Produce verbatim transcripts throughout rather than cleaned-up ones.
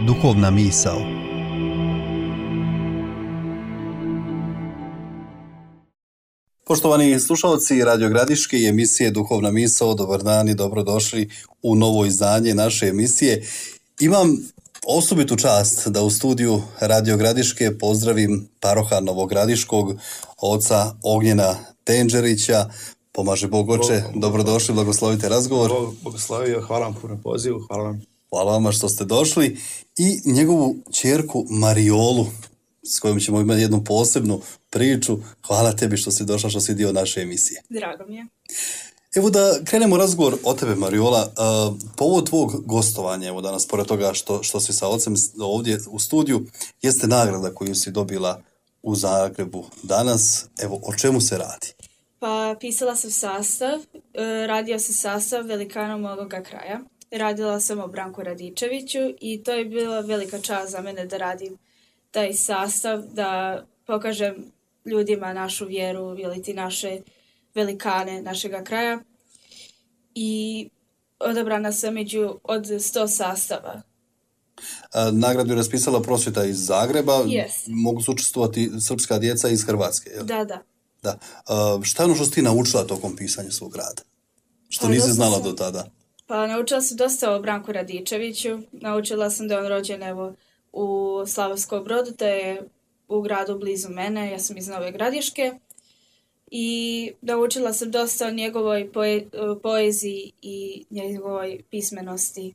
Duhovna misao. Poštovani slušalci Radio Gradiške i emisije Duhovna misao, dobar dan i dobrodošli u novo izdanje naše emisije. Imam osobitu čast da u studiju Radio Gradiške pozdravim paroha Novogradiškog, oca Ognjena Tenđerića. Pomaže Bog oče, dobrodošli, blagoslovite razgovor. Bog blagoslovio, hvala vam puno pozivu, hvala vam. Hvala vama što ste došli. I njegovu ćerku Mariolu, s kojom ćemo imati jednu posebnu priču. Hvala tebi što si došla, što si dio naše emisije. Drago mi je. Evo da krenemo razgovor o tebe, Mariola. Uh, povod tvog gostovanja, evo danas, pored toga što, što si sa ocem ovdje u studiju, jeste nagrada koju si dobila u Zagrebu danas. Evo, o čemu se radi? Pa pisala sam sastav, radio se sastav velikanom ovoga kraja. Radila sam o Branku Radičeviću i to je bila velika čast za mene da radim taj sastav, da pokažem ljudima našu vjeru ili ti naše velikane našega kraja. I odabrana sam među od sto sastava. A, nagradu je raspisala prosvjeta iz Zagreba. Yes. Mogu su učestvovati srpska djeca iz Hrvatske. Jel? Da, da. Da. A, šta je ono što si ti naučila tokom pisanja svog rada? Što Pa, nisi dosta znala sam- do tada? Pa naučila sam dosta o Branku Radičeviću. Naučila sam da je on rođen evo u Slavonskom Brodu, to je u gradu blizu mene, ja sam iz Nove Gradiške. I naučila sam dosta o njegovoj poe- poeziji i njegovoj pismenosti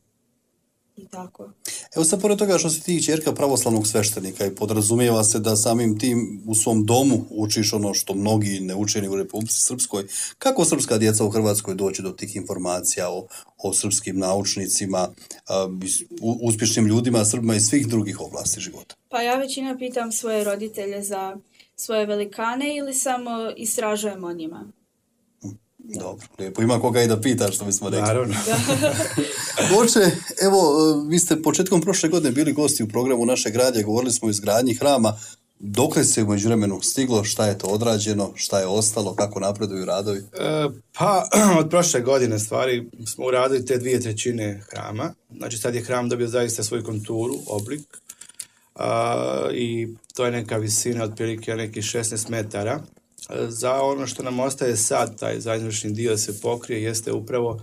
i tako. Evo sad, pored toga što si ti ćerka pravoslavnog sveštenika i podrazumijeva se da samim tim u svom domu učiš ono što mnogi ne uče ni u Republici Srpskoj, kako srpska djeca u Hrvatskoj doći do tih informacija o, o srpskim naučnicima, a, u- uspješnim ljudima, Srbima iz svih drugih oblasti života? Pa ja većina pitam svoje roditelje za svoje velikane ili samo istražujem o njima. Dobro, lijepo. Ima koga i da pita, što bismo rekli. Naravno. Oče, evo, e, vi ste početkom prošle godine bili gosti u programu Našeg radija, govorili smo o izgradnji hrama. Dokle se u međuvremenu stiglo, šta je to odrađeno, šta je ostalo, kako napreduju radovi? E, pa, od prošle godine stvari smo uradili te dvije trećine hrama. Znači sad je hram dobio zaista svoju konturu, oblik. A, i to je neka visina otprilike nekih šesnaest metara. E, Za ono što nam ostaje sad, taj zajednični dio se pokrije, jeste upravo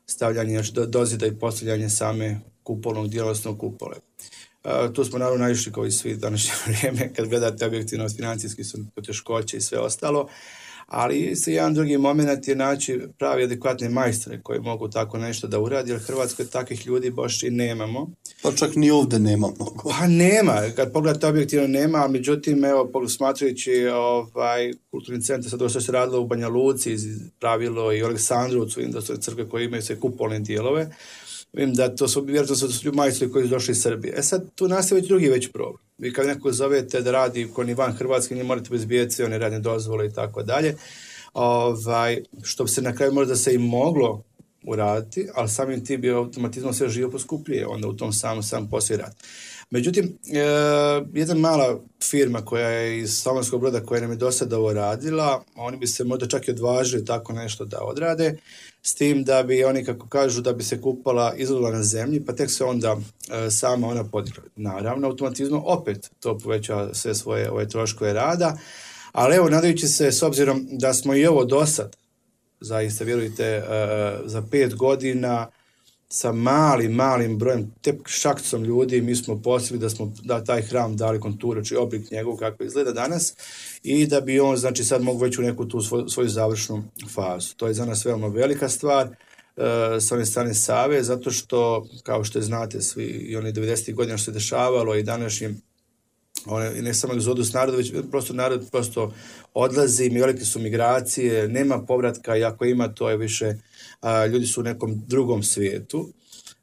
stavljanje, znači do, dozida i postavljanje same kupolnog dijela, odnosno kupole. E, tu smo naravno naišli kao i svi današnje vrijeme, kad gledate objektivno, financijski su poteškoće i sve ostalo, ali se jedan drugi moment je naći pravi adekvatne majstore koji mogu tako nešto da uradi, jer u Hrvatskoj takvih ljudi baš i nemamo. Pa čak ni ovdje nema mnogo. Pa nema, kad pogledate objektivno nema, ali međutim, evo, pog- smatrajući ovaj, kulturni centar, sad ovo što se radilo u Banja Luci, iz- pravilo i u Aleksandrovcu, vidim da su crkve koje imaju sve kupolne dijelove, vidim da to su, vjerojatno su to majstori koji su došli iz Srbije. E sad, tu nastaje već drugi već problem. Vi kad nekog zovete da radi kod ni van Hrvatske, njih morate bezbijeti sve one radne dozvole i tako dalje, ovaj, što bi se na kraju možda se i moglo uraditi, ali samim tim bi automatizmom sve živo poskupljuje, onda u tom sam, sam poslije rad. Međutim, e, jedna mala firma koja je iz Slavonskog Broda, koja nam je do sada ovo radila, oni bi se možda čak i odvažili tako nešto da odrade, s tim da bi oni, kako kažu, da bi se kupala izložila na zemlji, pa tek se onda e, sama ona podigla. Naravno, automatizmom opet to poveća sve svoje ove troškove rada, ali evo, nadajući se, s obzirom da smo i ovo do sad, zaista, vjerujte, e, za pet godina sa malim, malim brojem, tek šakcom ljudi, mi smo postigli da smo da taj hram dali konturu, znači oblik njegov kako izgleda danas i da bi on, znači, sad mogu već u neku tu svoju, svoju završnu fazu. To je za nas veoma velika stvar, e, s one strane Save, zato što, kao što znate svi, i one devedesetih godina što se dešavalo i današnjim, one, ne samo egzodus naroda, već prosto narod prosto odlazi, velike su migracije, nema povratka i ako ima, to je više, a, ljudi su u nekom drugom svijetu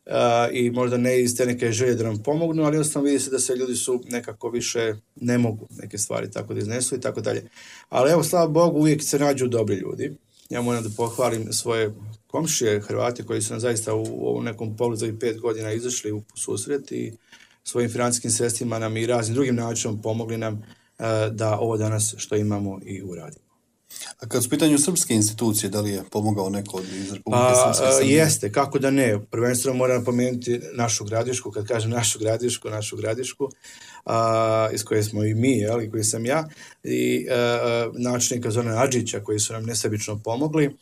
a, i možda ne iz te neke želje da nam pomognu, ali jednostavno vidi se da se ljudi su nekako više ne mogu neke stvari tako da iznesu i tako dalje. Ali evo, slava Bogu, uvijek se nađu dobri ljudi. Ja moram da pohvalim svoje komšije Hrvati koji su nam zaista u, u nekom pogledu za ovih pet godina izašli u susret i svojim financijskim sredstvima nam i raznim drugim načinom pomogli nam uh, da ovo danas što imamo i uradimo. A kad su u pitanju srpske institucije, da li je pomogao neko od iz Republike Pa, Srpske Srbije? jeste, kako da ne. Prvenstveno moram napomenuti našu Gradišku, kad kažem našu Gradišku, našu Gradišku, a, iz koje smo i mi, jel, i koji sam ja, i a, načelnika Zorana Adžića, koji su nam nesebično pomogli.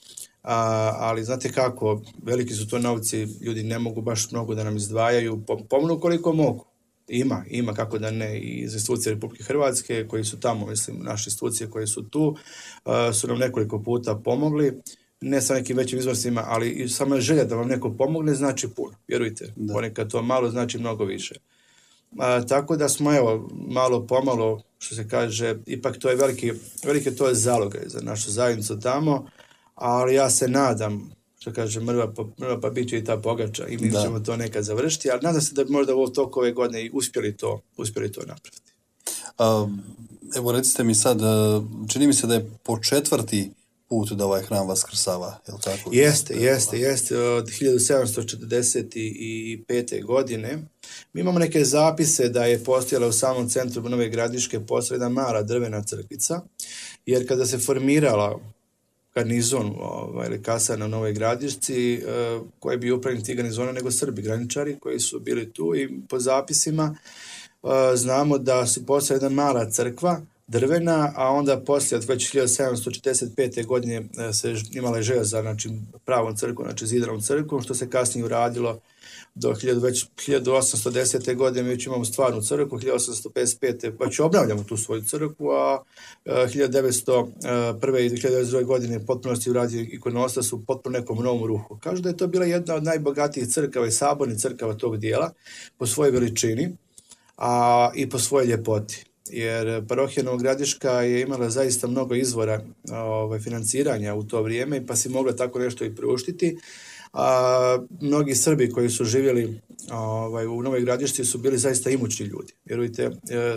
A, ali znate kako, veliki su to novci, ljudi ne mogu baš mnogo da nam izdvajaju, pomognu koliko mogu. Ima, ima, kako da ne, i iz institucije Republike Hrvatske koji su tamo, mislim, naše institucije koje su tu, uh, su nam nekoliko puta pomogli, ne sa nekim većim iznosima, ali i sama želja da vam neko pomogne znači puno, vjerujte, da. Ponekad to malo znači mnogo više. Uh, tako da smo, evo, malo pomalo, što se kaže, ipak to je veliki, veliki to je zalogaj za našu zajednicu tamo, ali ja se nadam, što kaže, mrva pa, mrva pa bit će i ta pogača i mi da. ćemo to nekad završiti, ali nadam se da bi možda u toku ove godine i uspjeli to, uspjeli to napraviti. A, evo recite mi sad, čini mi se da je po četvrti put da ovaj hram vaskrsava, je li tako? Jeste, jeste, jeste, od hiljadu sedamsto četrdeset pete. godine. Mi imamo neke zapise da je postojala u samom centru Nove Gradiške postojala jedna mala drvena crkvica, jer kada se formirala garnizon ovaj, ili kasar na Novoj Gradišci, eh, koji bi upravljeni ti garnizona nego Srbi, graničari koji su bili tu i po zapisima eh, znamo da su postala jedna mala crkva, drvena, a onda poslije od već hiljadu sedamsto četrdeset pete. godine eh, se imala je želja za znači, pravom crkvom, znači zidanom crkvom, što se kasnije uradilo do hiljadu osamsto desete. godine mi već imamo stvarnu crkvu, hiljadu osamsto pedeset pete. pa će obnavljamo tu svoju crkvu, a hiljadu devetsto prve. i hiljadu devetsto druge. godine potpunosti uradio ikonostas u potpuno nekom novom ruhu. Kažu da je to bila jedna od najbogatijih crkava i sabornih crkava tog dijela po svojoj veličini, a i po svojoj ljepoti. Jer parohija Novogradiška je imala zaista mnogo izvora ovaj, financiranja u to vrijeme, pa si mogla tako nešto i priuštiti. A mnogi Srbi koji su živjeli ovaj, u Novoj Gradišci su bili zaista imućni ljudi. Vjerujte,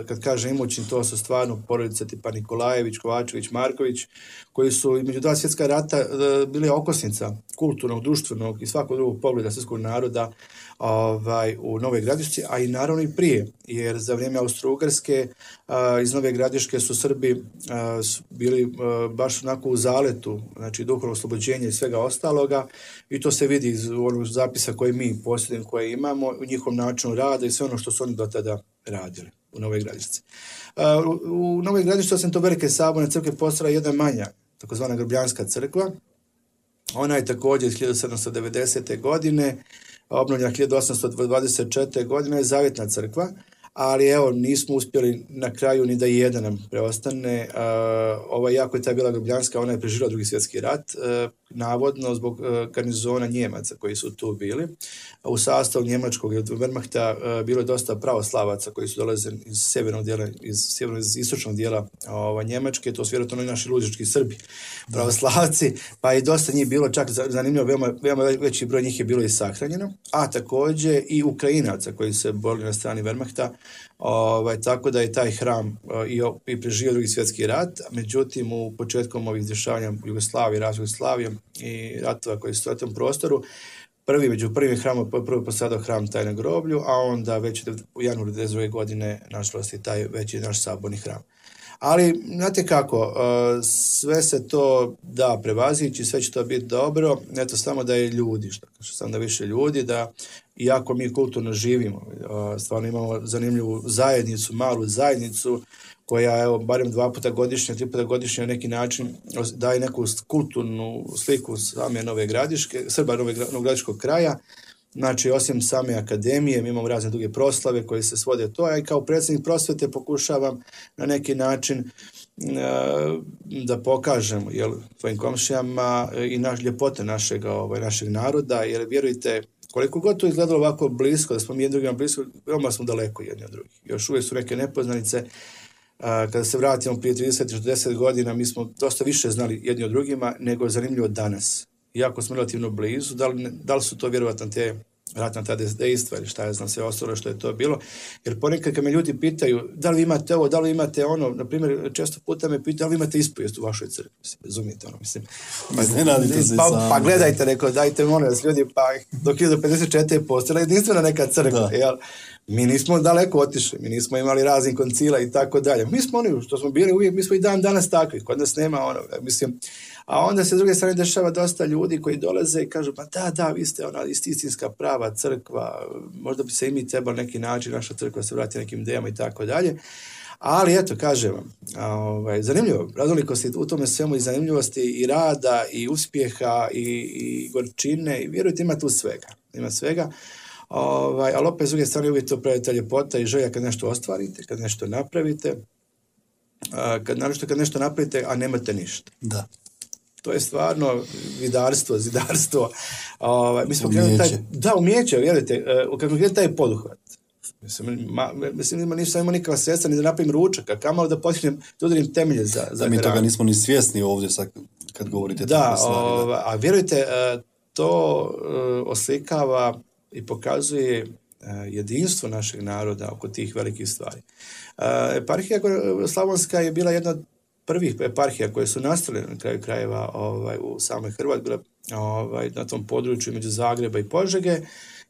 kad kažem imućni, to su stvarno porodice tipa Nikolajević, Kovačević, Marković, koji su između dva svjetska rata bili okosnica kulturnog, društvenog i svakog drugog pogleda srpskog naroda ovaj, u Novoj Gradišci, a i naravno i prije, jer za vrijeme Austro-Ugarske iz Nove Gradiške su Srbi a, su bili a, baš onako u zaletu, znači duhovno oslobođenje i svega ostaloga, i to se vidi iz onog zapisa koje mi posjedujemo, koje imamo, u njihovom načinu rada i sve ono što su oni do tada radili u Novoj Gradišci. A, u, u Novoj Gradišci, osim to velike saborne crkve, postala jedna manja, takozvana Grbljanska crkva. Ona je također iz hiljadu sedamsto devedesete. godine, obnovljena hiljadu osamsto dvadeset četvrte. godine, je zavjetna crkva, ali evo, nismo uspjeli na kraju ni da jedan nam preostane. Uh, ova jako je ta bila Grbljanska, ona je preživjela Drugi svjetski rat, uh, navodno zbog uh, garnizona Njemaca koji su tu bili. Uh, u sastavu njemačkog Wehrmachta uh, bilo je dosta pravoslavaca koji su dolazili iz sjevernog dijela, iz sjevernog iz istočnog dijela ova, Njemačke, to su vjerojatno i naši lužički Srbi, pravoslavci, pa i dosta njih bilo, čak zanimljivo, veoma, veoma veći broj njih je bilo i sahranjeno, a također i Ukrajinaca koji se borili na strani Wehrmachta. Ovaj, tako da je taj hram uh, i, i preživio Drugi svjetski rat, međutim u početkom ovih dešavanja Jugoslavije, razvoja Jugoslavije i ratova koji su u tom prostoru, prvi među prvim hramom prvo posadao hram taj na groblju, a onda već u januaru devedeset druge. godine nažalost je taj veći naš saborni hram. Ali, znate kako, sve se to da prevazići, sve će to biti dobro, eto samo da je ljudi, što samo da više ljudi, da iako mi kulturno živimo, stvarno imamo zanimljivu zajednicu, malu zajednicu, koja, evo, barem dva puta godišnje, tri puta godišnje na neki način daje neku kulturnu sliku same Nove Gradiške, Srba Nove Gradiškog kraja. Znači, osim same akademije, mi imamo razne druge proslave koje se svode to, a i kao predsjednik prosvete pokušavam na neki način uh, da pokažem jel, svojim komšijama i naš, ljepote našeg, ovaj, našeg naroda, jer vjerujte, koliko god to izgledalo ovako blisko, da smo mi jedni drugima blisko, veoma smo daleko jedni od drugih. Još uvijek su neke nepoznanice. Uh, kada se vratimo prije trideset do četrdeset godina, mi smo dosta više znali jedni od drugima nego zanimljivo danas. Iako smo relativno blizu, da li, da li su to vjerovatno te ratna ta dejstva ili šta ja znam sve ostalo što je to bilo. Jer ponekad kad me ljudi pitaju da li imate ovo, da li imate ono, na primjer često puta me pitaju da li imate ispovijest u vašoj crkvi, mislim, razumijete ono, mislim. Pa, pa, pa gledajte, rekao, dajte molim vas ljudi, pa do hiljadu pedeset četiri je postojala jedinstvena neka crkva, jel? Mi nismo daleko otišli, mi nismo imali raznih koncila i tako dalje. Mi smo oni što smo bili uvijek, mi smo i dan danas takvi, kod nas nema ono, mislim. A onda se s druge strane dešava dosta ljudi koji dolaze i kažu, pa da, da, vi ste ona istinska prava crkva, možda bi se i mi trebali neki način, naša crkva se vrati nekim idejama i tako dalje. Ali eto, kažem vam, ovaj, zanimljivo, raznolikosti u tome svemu i zanimljivosti i rada i uspjeha i, i gorčine i vjerujte ima tu svega, ima svega. Ovaj, ali opet s druge strane uvijek to pravite ljepota i želja kad nešto ostvarite, kad nešto napravite, kad, naravno kad nešto napravite, a nemate ništa. Da. To je stvarno vidarstvo, zidarstvo. Ovaj, mi smo krenuli taj, da, umijeće, vjerujte, uh, kako je taj poduhvat. Mislim, ma, mislim nisam imao nikakva sredstva ni da napravim ručak, a kamalo da potignem, da udarim temelje za, za da, mi toga nismo ni svjesni ovdje sad kad govorite da, tako stvari. O, da, a vjerujte, uh, to uh, oslikava i pokazuje uh, jedinstvo našeg naroda oko tih velikih stvari. Uh, eparhija Slavonska je bila jedna od prvih eparhija koje su nastale na kraju krajeva ovaj, u samoj Hrvatskoj, ovaj, na tom području među Zagreba i Požege,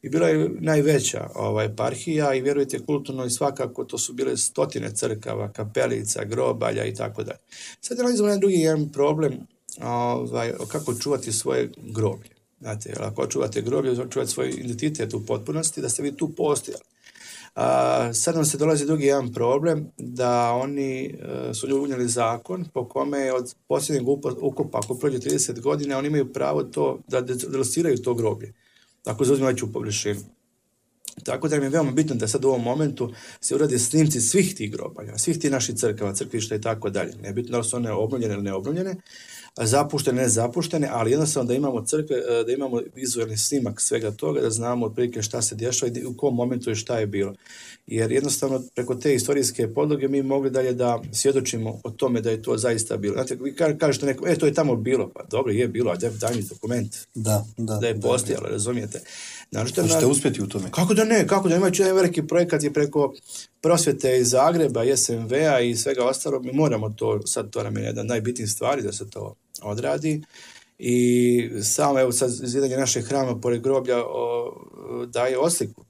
i bila je najveća ovaj, eparhija i vjerujte kulturno i svakako to su bile stotine crkava, kapelica, grobalja i tako dalje. Sad nalazimo jedan drugi jedan problem, ovaj, kako čuvati svoje groblje. Znate, ako čuvate groblje, čuvate svoj identitet u potpunosti, da ste vi tu postojali. A, sad nam se dolazi drugi jedan problem, da oni uh, su unijeli zakon po kome je od posljednjeg ukopa, ako prođe trideset godina, oni imaju pravo to da delociraju to groblje, ako zauzimaju veću površinu. Tako da im je veoma bitno da sad u ovom momentu se urade snimci svih tih grobalja, svih tih naših crkava, crkvišta i tako dalje. Nebitno da li su one obnovljene ili neobnovljene, zapuštene, ne zapuštene, ali jednostavno da imamo crkve, da imamo vizualni snimak svega toga, da znamo otprilike šta se dešava i u kom momentu i šta je bilo. Jer jednostavno preko te istorijske podloge mi mogli dalje da svjedočimo o tome da je to zaista bilo. Znate, vi kažete nekom, e, to je tamo bilo, pa dobro, je bilo, a daj mi dokument. Da, da. Da je postojalo, razumijete. Možete na... uspjeti u tome. Kako da ne, kako da imajući jedan veliki projekat je preko prosvjete iz Zagreba, S M V-a i svega ostalog, mi moramo to, sad to nam je jedna najbitnijih stvari da se to odradi i samo evo sad izvedanje našeg hrama pored groblja o, daje osliku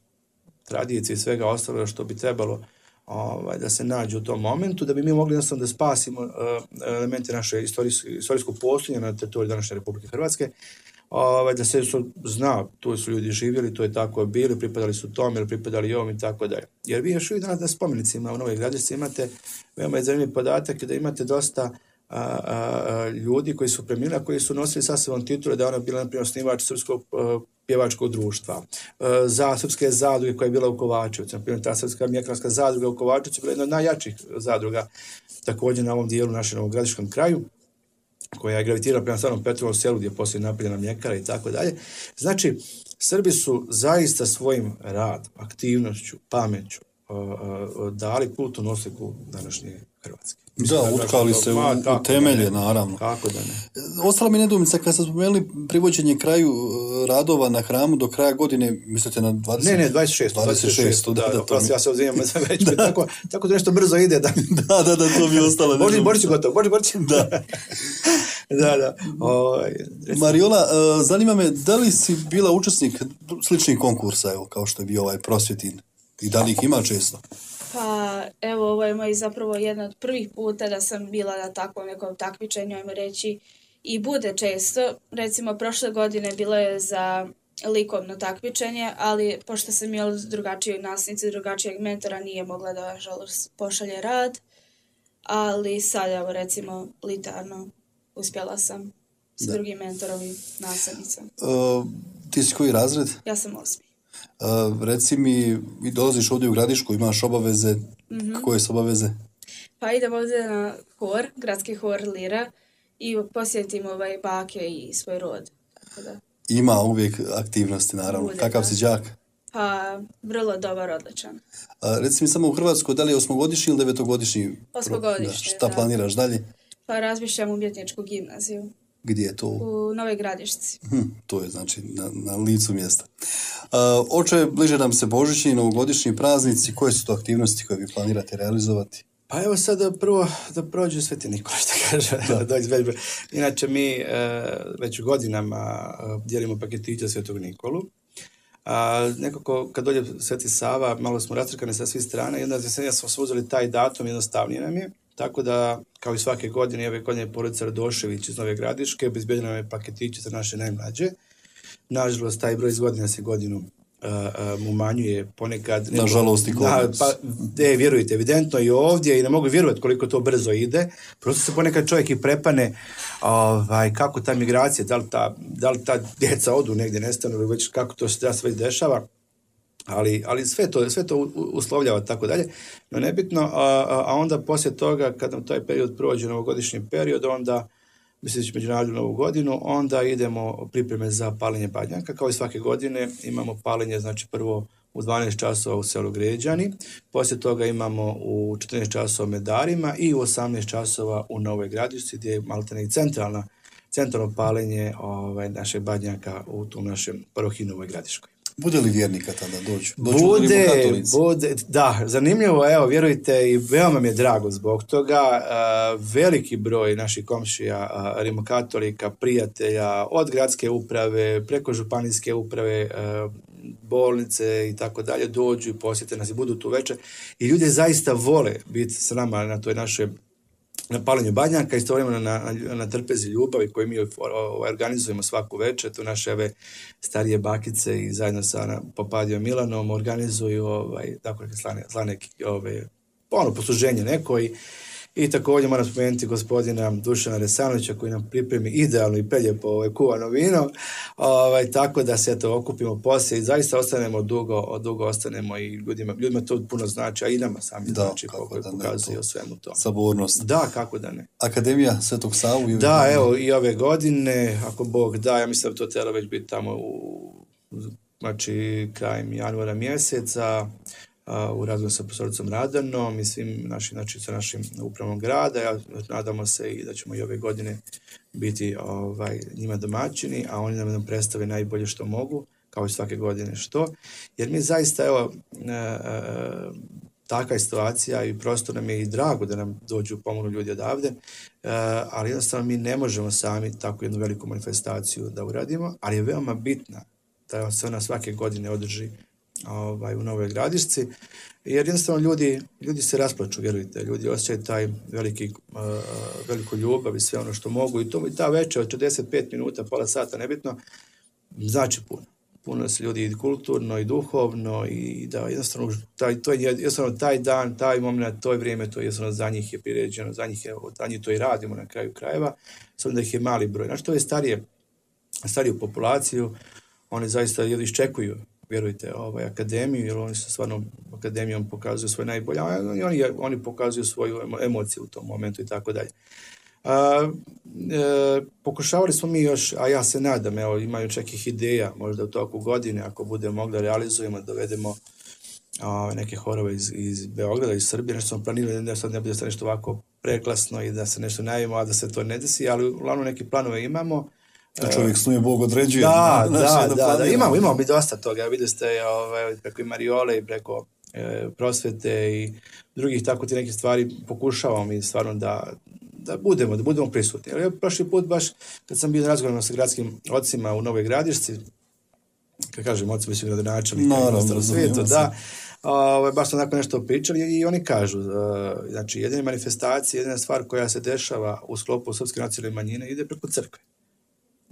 tradicije i svega ostaloga što bi trebalo ovaj, da se nađe u tom momentu, da bi mi mogli jednostavno da spasimo uh, elemente naše istorijskog postojanja na teritoriji današnje Republike Hrvatske, ovaj, da se su, zna, tu su ljudi živjeli, to je tako bili, pripadali su tome ili pripadali ovom i tako dalje. Jer vi još uvijek danas na spomenicima u Novoj Gradišci imate, veoma je zanimljiv podatak da imate dosta A, a, a, ljudi koji su preminuli, koji su nosili sasvim titule da je ona bila, na primjer, osnivač srpskog a, pjevačkog društva, a, za srpske zadruge koja je bila u Kovačevcu, na primjer, ta srpska mjekarska zadruga u Kovačevcu je bila jedna od najjačih zadruga, također na ovom dijelu našem novogradiškom kraju, koja je gravitirala prema Starom Petrovom selu gdje je poslije napravljena mljekara i tako dalje. Znači, Srbi su zaista svojim radom, aktivnošću, pameću a, a, dali kulturnu osliku današnje Hrvatske. Da, utkali se u, u temelje, naravno. Kako da ne. Ostala mi nedoumica, kad ste spomenuli privođenje kraju radova na hramu do kraja godine, mislite na dvadeset? Ne, ne, dvadeset šest. dvadeset šest, da, da, da, da, ja se odzivam za već, da. tako, tako da nešto brzo ide. Da, da, da, da to mi je ostalo. Boži, Božić gotovo, Boži, Božić. Da. da, da. O, Mariola, zanima me, da li si bila učesnik sličnih konkursa, evo, kao što je bio ovaj Prosvjetin, i da li ih ima često? Pa, evo, ovo je moj zapravo jedan od prvih puta da sam bila na takvom nekom takmičenju, ajmo reći, i bude često. Recimo, prošle godine bilo je za likovno takmičenje, ali pošto sam imala drugačiju nasnicu, drugačijeg mentora, nije mogla da, žalost, pošalje rad, ali sad, evo, recimo, litarno uspjela sam s da. drugim mentorom i nastavnicom. Uh, ti si koji razred? Ja sam osmi. Uh, reci mi, vi dolaziš ovdje u Gradišku, imaš obaveze, mm-hmm. koje su obaveze? Pa idem ovdje na hor, gradski hor Lira i posjetim ovaj bake i svoj rod. Tako da. Ima uvijek aktivnosti, naravno. Bude, kakav da. si đak? Pa, vrlo dobar, odličan. A, reci mi samo u Hrvatskoj, da li je osmogodišnji ili devetogodišnji? Osmogodišnji, da. Šta da. planiraš dalje? Pa razmišljam umjetničku gimnaziju. Gdje je to? U Novoj Gradišci. Hm, to je znači na, na licu mjesta. Oče, bliže nam se Božićni i novogodišnji praznici. Koje su to aktivnosti koje vi planirate realizovati? Pa evo sad da prvo da prođe Sveti Nikola, što kaže. Da. Da Inače mi e, već godinama dijelimo paketiće Svetog Nikolu. A, nekako kad dođe Sveti Sava, malo smo rastrkani sa svih strana i onda smo se uzeli taj datum, jednostavnije nam je. Tako da, kao i svake godine, ove godine porodica Radošević iz Nove Gradiške obezbedila nam je paketiće za naše najmlađe. Nažalost, taj broj iz godine se godinu uh, um, umanjuje ponekad. Nažalost i kod nas. Pa, de, vjerujte, evidentno i ovdje i ne mogu vjerovati koliko to brzo ide. Prosto se ponekad čovjek i prepane ovaj, kako ta migracija, da li ta, da li ta djeca odu negdje, nestanu ili već kako to se već dešava. Ali, ali sve to, sve to uslovljava tako dalje, no nebitno, a, a onda poslije toga, kad nam taj period prođe, novogodišnji period, onda, misleći međunarodnu novu godinu, onda idemo pripreme za paljenje badnjaka, kao i svake godine imamo paljenje, znači prvo u dvanaest časova u selu Gređani, poslije toga imamo u četrnaest časova u Medarima i u osamnaest časova u Novoj Gradišci, gdje je maltene i centralna, centralno paljenje ovaj, našeg badnjaka u tom našem parohiji Novoj Gradiškoj. Bude li vjernika tada dođu? Dođu bude, bude, da, zanimljivo, evo, vjerujte, i veoma mi je drago zbog toga. Uh, veliki broj naših komšija, uh, rimokatolika, prijatelja, od gradske uprave, preko županijske uprave, uh, bolnice i tako dalje, dođu i posjete nas i budu tu večer. I ljudi zaista vole biti s nama na toj našoj na palenju badnjaka, istovremeno na, na, na trpezi ljubavi koju mi organizujemo svaku večer. Tu naše ove starije bakice i zajedno sa Popadijom Milanom organizuju ovaj, dakle, slane, slane ove, ono, posluženje neko i, i također moram spomenuti gospodina Dušana Resanovića koji nam pripremi idealno i preljepo ovaj, kuvano vino, ovaj, tako da se to okupimo poslije i zaista ostanemo dugo, dugo ostanemo i ljudima, ljudima to puno znači, a i nama sami da, znači kako pokazuje o svemu to. Sabornost. Da, kako da ne. Akademija Svetog Savu? I da, evo i ove godine, ako Bog da, ja mislim da to treba već biti tamo u, znači, krajem januara mjeseca, u razgovoru sa profesoricom Radanom i svim našim, znači, sa našim upravom grada. Ja, nadamo se i da ćemo i ove godine biti ovaj, njima domaćini, a oni nam, nam predstave najbolje što mogu, kao i svake godine što. Jer mi zaista, evo, e, e, taka je situacija i prosto nam je i drago da nam dođu pomognu ljudi odavde, e, ali jednostavno mi ne možemo sami tako jednu veliku manifestaciju da uradimo, ali je veoma bitna da se ona svake godine održi Ovaj, u Novoj Gradišci, jer jednostavno ljudi, ljudi se rasplaču, vjerujte, ljudi osjećaju taj veliki, uh, veliku ljubav i sve ono što mogu i to i ta večer od četrdeset pet minuta, pola sata, nebitno, znači puno. Puno se ljudi i kulturno i duhovno i da jednostavno taj, to je jednostavno taj dan, taj moment, to je vrijeme, to je jednostavno za njih je priređeno, za njih je, za njih to i radimo na kraju krajeva, samo da ih je mali broj. Znači to je starije, stariju populaciju, oni zaista jedno iščekuju, vjerujte, ovaj, akademiju, jer oni su stvarno akademijom pokazuju svoje najbolje, a oni, oni pokazuju svoju emociju u tom momentu i tako dalje. A, e, pokušavali smo mi još, a ja se nadam, evo, imaju čekih ideja, možda u toku godine, ako budemo mogli realizujemo, dovedemo a, neke horove iz, iz Beograda, iz Srbije, nešto smo planirali, da sad ne bude nešto ovako preklasno i da se nešto najavimo, a da se to ne desi, ali uglavnom neke planove imamo. Da čovjek snuje, Bog određuje. Da, da, da, da, da, imamo, imamo mi dosta toga, vidite ste ovaj, preko i Mariole i preko e, prosvete i drugih tako ti nekih stvari pokušavamo mi stvarno da, da budemo, da budemo prisutni. Ali prošli put baš kad sam bio na razgovoru sa gradskim ocima u Novoj Gradišci, kad kažem ocima su gradonačelnika no, u svijetu, da, ovaj, baš smo onako nešto pričali i oni kažu, uh, znači jedina manifestacija, jedina stvar koja se dešava u sklopu srpske nacionalne manjine ide preko crkve.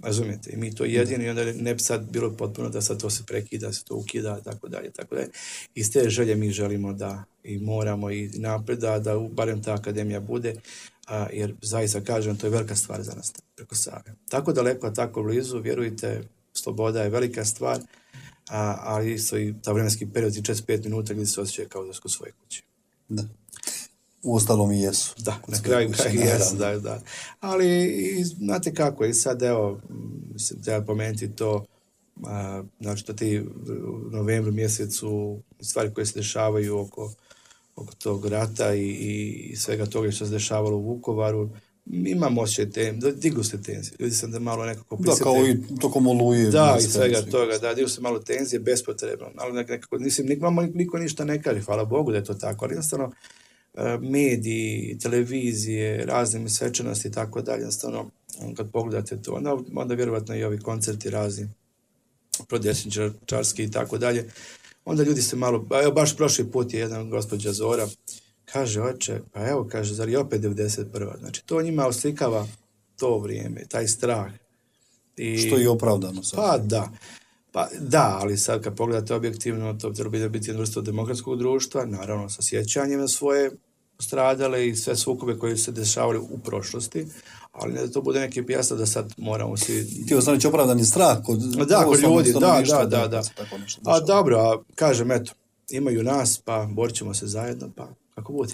Razumijete? I mi to jedino i onda ne bi sad bilo potpuno da sad to se prekida, da se to ukida, tako dalje, tako dalje. Iz te želje mi želimo da i moramo i napred da, da barem ta akademija bude, a, jer zaista kažem, to je velika stvar za nas preko Save. Tako daleko, tako blizu, vjerujte, sloboda je velika stvar, a, ali isto i ta vremenski period, četrdeset pet minuta gdje se osjećaju kao da su kod svoje kuće. Da. U ostalom i jesu. Da, na kraju kraju jesu, da, da. Ali, i, znate kako, i sad, evo, mislim, treba pomenuti to, a, znači, to ti u novembru mjesecu stvari koje se dešavaju oko, oko tog rata i, i svega toga što se dešavalo u Vukovaru, imam osjećaj tenzije, dignu se tenzije. Ljudi sam da malo nekako prisjete. Da, kao i tokom oluje. Da, i svega toga, da, dignu se malo tenzije, bespotrebno. Ali nekako, mislim, nik, niko ništa ne kaže, hvala Bogu da je to tako, ali jednostavno mediji, televizije, razne svečanosti i tako dalje, jednostavno, kad pogledate to, onda, onda vjerovatno i ovi koncerti razni, prodesničarski i tako dalje, onda ljudi se malo, evo baš prošli put je jedan gospođa Zora, kaže, oče, pa evo, kaže, zar je opet devedeset prva. Znači, to njima oslikava to vrijeme, taj strah. I, što je opravdano sad. Pa da, pa da, ali sad kad pogledate objektivno, to treba biti jedna vrsta demokratskog društva, naravno sa sjećanjem na svoje stradale i sve sukobe koje se dešavali u prošlosti, ali ne da to bude neki pijasta da sad moramo svi... Ti ostaneš opravdani strah kod... Da, kod ljudi, da, da, da, da. A dobro, a kažem, eto, imaju nas, pa borit ćemo se zajedno, pa kako bude.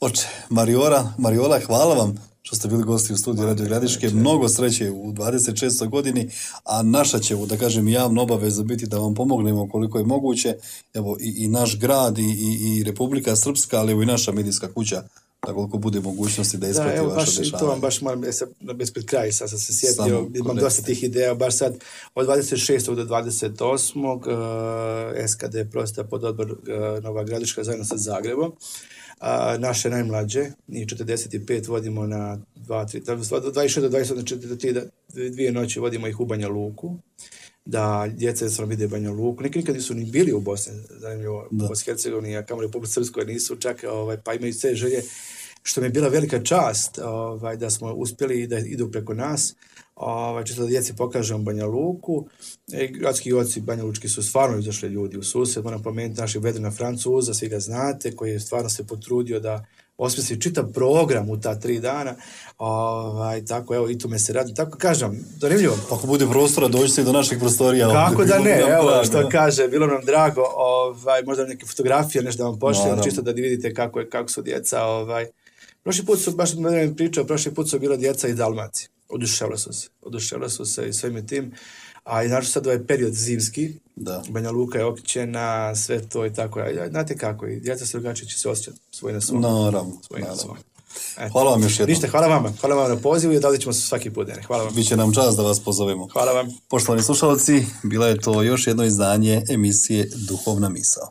Oče, Mariola, Mariola, hvala vam što ste bili gosti u studiju Radio Gradiške. Mnogo sreće u dvadeset šestoj godini, a naša će, da kažem, javna obaveza biti da vam pomognemo koliko je moguće. Evo, i, i naš grad, i, i, i Republika Srpska, ali evo i naša medijska kuća, da koliko bude mogućnosti da isprati vaše dešavanje. Da, evo, baš, to vam baš moram, bez pred kraja, sad sam se sjetio, imam dosta tih ideja, baš sad od dvadeset šestog do dvadeset osmog Uh, S K D prosta pod odbor uh, Nova Gradiška zajedno sa Zagrebom. A, naše najmlađe, njih četrdeset pet vodimo na dva, tri, dvadeset šest do dvadeset, znači dvije noći vodimo ih u Banja Luku, da djeca jednostavno vide Banja Luku. Neki nikad nisu ni bili u Bosni, zanimljivo, u Bosni i Hercegovini, a kamo Republike Srpskoj nisu čak, ovaj, pa imaju sve želje, što mi je bila velika čast ovaj, da smo uspjeli da idu preko nas. Ovaj, čisto da djeci pokažemo Banja Luku. E, gradski oci Banja Lučki su stvarno izašli ljudi u susret. Moram pomenuti našeg Vedrina Francuza, svi ga znate, koji je stvarno se potrudio da osmisli čitav program u ta tri dana. Ovaj, tako, evo, i tu me se radi. Tako kažem, zanimljivo. Ako bude prostora, dođite do naših prostorija. Kako da ne, evo, što kaže, bilo nam drago, ovaj, možda neke fotografije, nešto da vam pošljem, čisto da vidite kako, je, kako su djeca. Ovaj. Prošli put su, baš me pričao, prošli put su bila djeca iz Dalmacije. Oduševila su se, oduševila su se i svim tim, a i naravno sad ovaj period zimski, da. Banja Luka je okćena, sve to i tako, a znate kako, i djeca se drugačije će se osjećati svoj na svom. Naravno, naravno. Hvala vam još jednom. Ništa, hvala vama, hvala vam na pozivu i dalje ćemo se svaki put. Hvala vam. Biće nam čast da vas pozovemo. Hvala vam. Poštovani slušalci, bila je to još jedno izdanje emisije Duhovna misao.